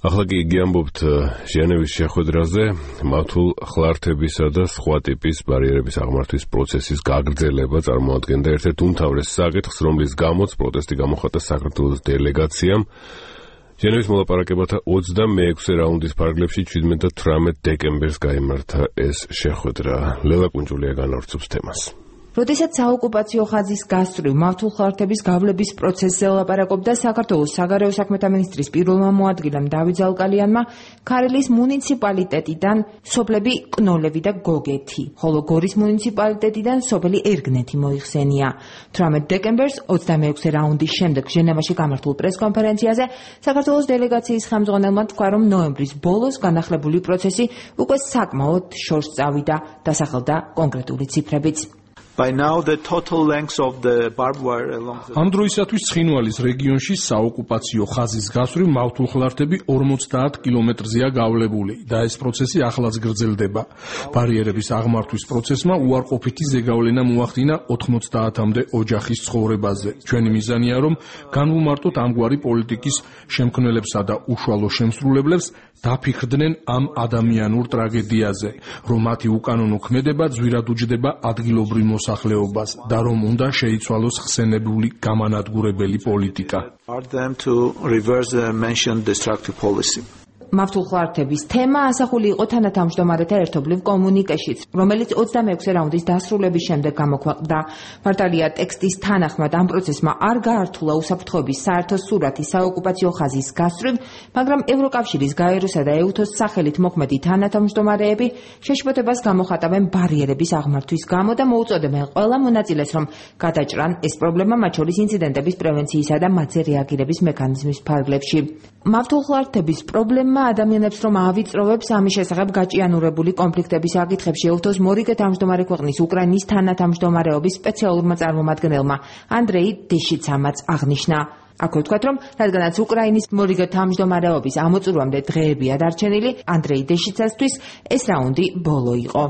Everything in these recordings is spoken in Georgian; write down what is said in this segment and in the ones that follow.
ახლა კი გიამბობთ ჟენევის შეხვედრაზე, მართულ ხლართებისა და სხვა ტიპის ბარიერების აღმართვის პროცესის გაგრძელება წარმოადგენდა ერთ-ერთ უმთავრეს საკითხს, რომლის გამოც პროტესტი გამოხატა საქართველოს დელეგაციამ. ჟენევის მოლაპარაკებათა 26 რაუნდის ფარგლებში 17-18 დეკემბერს გაიმართა ეს შეხვედრა. ლელა კუნჯულია განავრცობს თემას. როდესაც საოკუპაციო ხაზის გასწვრივ მავთულ ხლართების გავლების პროცესზე ლაპარაკობდა საქართველოს საგარეო საქმეთა მინისტრის პირველმა მოადგილემ დავით ზალკალიანმა, ქარელის მუნიციპალიტეტიდან სოფლები კნოლევი და გოგეთი, ხოლო გორის მუნიციპალიტეტიდან სოფელი ერგნეთი მოიხსენია. 18 დეკემბერს 26 რაუნდის შემდეგ ჟენევაში გამართულ პრესკონფერენციაზე საქართველოს დელეგაციის ხელმძღვანელმა თქვა, რომ ნოემბრის ბოლოს განახლებული პროცესი უკვე საკმაოდ შორს წავიდა, დასახელდა კონკრეტული ციფრებიც. By now, the total length of the barbed wire along the... ამ დროისათვის ცხინვალის რეგიონში საოკუპაციო ხაზის გასწვრივ მავთულ ხლართები 50 კილომეტრზეა გავლებული და ეს პროცესი ახლაც გრძელდება. ბარიერების აღმართვის პროცესმა უარყოფითი ზეგავლენა მოახდინა 90-მდე ოჯახის ცხოვრებაზე. ჩვენი მიზანია, რომ განვუმარტოთ ამგვარი პოლიტიკის შემქმნელებსა და უშუალო შემსრულებლებს დაფიქრდნენ ამ ადამიანურ ტრაგედიაზე, რომ მათი უკანონო ქმედება ძვირად უჯდება ადგილობრივ მოსახლეობას და რომ უნდა შეიცვალოს ხსენებული გამანადგურებელი პოლიტიკა. მავთულ ხლართების თემა ასახული იყო თანათავმჯდომარეთა ერთობლივ კომუნიკეშიც, რომელიც 26 რაუნდის დასრულების შემდეგ გამოქვეყნდა. მართალია ტექსტის თანახმად ამ პროცესმა არ გაართულა უსაფრთხოების საერთო სურათი საოკუპაციო ხაზის გასწვრივ, მაგრამ ევროკავშირის გაეროსა და ეუთოს სახელით მოქმედი თანათავმჯდომარეები შეშფოთებას გამოხატავენ ბარიერების აღმართვის გამო და მოუწოდებენ ყველა მონაწილეს, რომ გადაჭრან ეს პრობლემა, მათ შორის ინციდენტების პრევენციისა და მათზე რეაგირების მექანიზმის ფარგლებში. მავთულ ხლართების პრობლემა ადამიანებს რომ ავიწროვებს ამის შესახებ გაჭიანურებული კონფლიქტების საკითხებში ეუთოს მორიგე თავმჯდომარე ქვეყნის უკრაინის თანათავმჯდომარეობის სპეციალურმა წარმომადგენელმა ანდრეი დეშიცამაც აღნიშნა. აქვე ვთქვათ, რომ რადგანაც უკრაინის მორიგე თავმჯდომარეობის ამოწურვამდე დღეებია დარჩენილი, ანდრეი დეშიცასთვის ეს რაუნდი ბოლო იყო.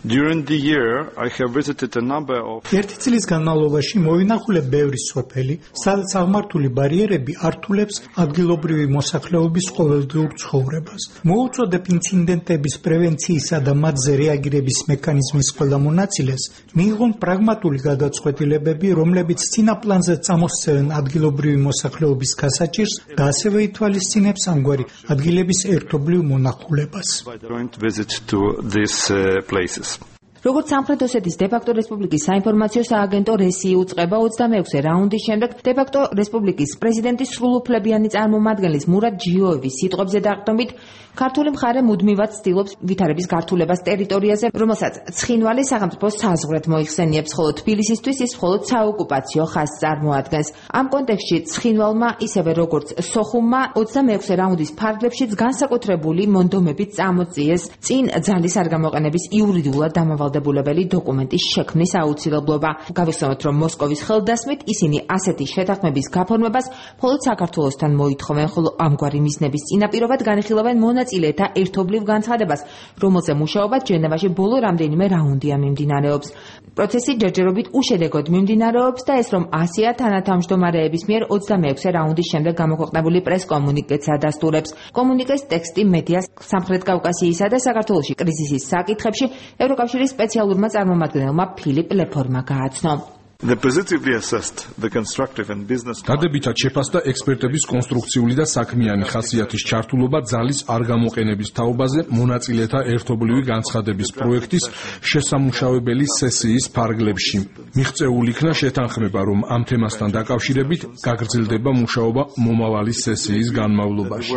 During the year, I have visited a number of... ერთი წლის განმავლობაში მოვინახულე ბევრი სოფელი, სადაც აღმართული ბარიერები ართულებს ადგილობრივი მოსახლეობის ყოველდღიურ ცხოვრებას. მოუწოდებ ინციდენტების პრევენციისა და მათზე რეაგირების მექანიზმის ყველა მონაწილეს, მიიღონ პრაგმატული გადაწყვეტილებები, რომლებიც წინაპლანზე წამოსცემენ ადგილობრივი მოსახლეობის გასაჭირს და ასევე ითვალისწინებს ამგვარი ადგილების ერთობლივ მონახულებას. როგორც სამხრეთ ოსეთის დე-ფაქტო რესპუბლიკის საინფორმაციო სააგენტო რესი უწყება 26 რაუნდის შემდეგ დე-ფაქტო რესპუბლიკის პრეზიდენტის სრულუფლებიანი წარმომადგენლის მურატ ჯიოევის სიტყვებზე დაყრდნობით, ქართული მხარე მუდმივად ცდილობს ვითარების გართულებას ტერიტორიაზე, რომელსაც ცხინვალი სახელმწიფოს საზღვრად მოიხსენიებს, ხოლო თბილისისთვის ის მხოლოდ საოკუპაციო ხაზს წარმოადგენს. ამ კონტექსტში ცხინვალმა, ისევე როგორც სოხუმმა, 26 რაუნდის ფარგლებშიც განსაკუთრებული მონდომებით წამოწიეს წინ ძალის არ გამოყენების იურიდიულად დამავალდებულებელი დოკუმენტის შექმნის აუცილებლობა. გავიხსენოთ, რომ მოსკოვის ხელდასმით ისინი ასეთი შეთანხმების გაფორმებას მხოლოდ საქართველოსთან მოითხოვენ, ხოლო ამგვარი მიზნების წინაპირობად განიხილავენ მონაწილეთა ერთობლივ განცხადებას, რომელზე მუშაობა ჟენევაში ბოლო რამდენიმე რაუნდია მიმდინარეობს. პროცესი ჯერჯერობით უშედეგოდ მიმდინარეობს და ეს რომ ასია თანათავმჯდომარეების მიერ 26 რაუნდის შემდეგ გამოქვეყნებული პრესკომუნიკეც ადასტურებს. კომუნიკეს ტექსტი მედიას სამხრეთ კავკასიისა და საქართველოში კრიზისის საკითხებში ევროკავშირის სპეციალურმა წარმომადგენელმა ფილიპ ლეფორმა გააცნო. დადებითად შეფასდა ექსპერტების კონსტრუქციული და საქმიანი ხასიათის ჩართულობა ძალის არ გამოყენების თაობაზე მონაწილეთა ერთობლივი განცხადების პროექტის შესამუშავებელი სესიის ფარგლებში. მიღწეულ იქნა შეთანხმება, რომ ამ თემასთან დაკავშირებით გაგრძელდება მუშაობა მომავალი სესიის განმავლობაში.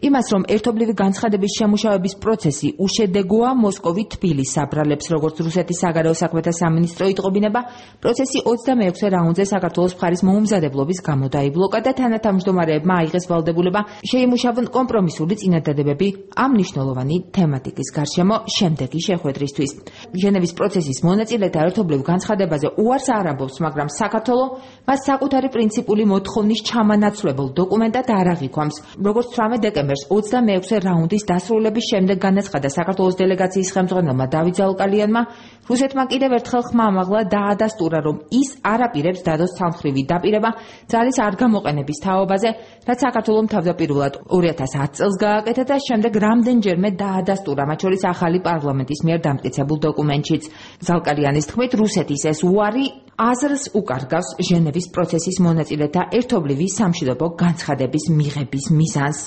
იმას, რომ ერთობლივი განცხადების შემუშავების პროცესი უშედეგოა, მოსკოვი თბილისს აბრალებს, როგორც რუსეთის საგარეო საქმეთა სამინისტრო იტყობინება, პროცესი 26 რაუნდზე საქართველოს მხარის მოუმზადებლობის გამო დაიბლოკა და თანათავმჯდომარეებმა აიღეს ვალდებულება შეიმუშავონ კომპრომისული წინადადებები ამ მნიშვნელოვანი თემატიკის გარშემო შემდეგი შეხვედრისთვის. ჟენევის პროცესის მონაწილეთა ერთობლივ განცხადებაზე უარს არ ამბობს, მაგრამ საქართველო მას საკუთარი პრინციპული მოთხოვნის ჩამანაცვლებელ დოკუმენტად არ აღიქვამს. როგორც 18 დეკემბერს სექტემბერს 26-ე რაუნდის დასრულების შემდეგ განაცხადა საქართველოს დელეგაციის ხელმძღვანელმა დავით ზაუკალიანმა, რუსეთმა კიდევ ერთხელ ხმა ამაღლა დაადასტურა, რომ ის არ აპირებს დადოს ცალმხრივი დაპირება ძალის არ გამოყენების თაობაზე, რაც საქართველომ თავდაპირველად 2010 წელს გააკეთა და შემდეგ რამდენჯერმე დაადასტურა, მათ შორის ახალი პარლამენტის მიერ დამტკიცებულ დოკუმენტშიც. ზაუკალიანის თქმით, რუსეთის ეს უარი აზრს უკარგავს ჟენევის პროცესის მონაწილეთა ერთობლივი სამშვიდობო განცხადების მიღების მიზანს.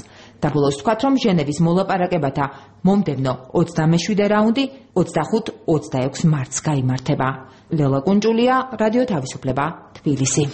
დაბოლოს თქვათ, რომ ჟენევის მოლაპარაკებათა მომდევნო 27 რაუნდი 25-26 მარტს გაიმართება. ლელა კუნჭულია, რადიო თავისუფლება, თბილისი.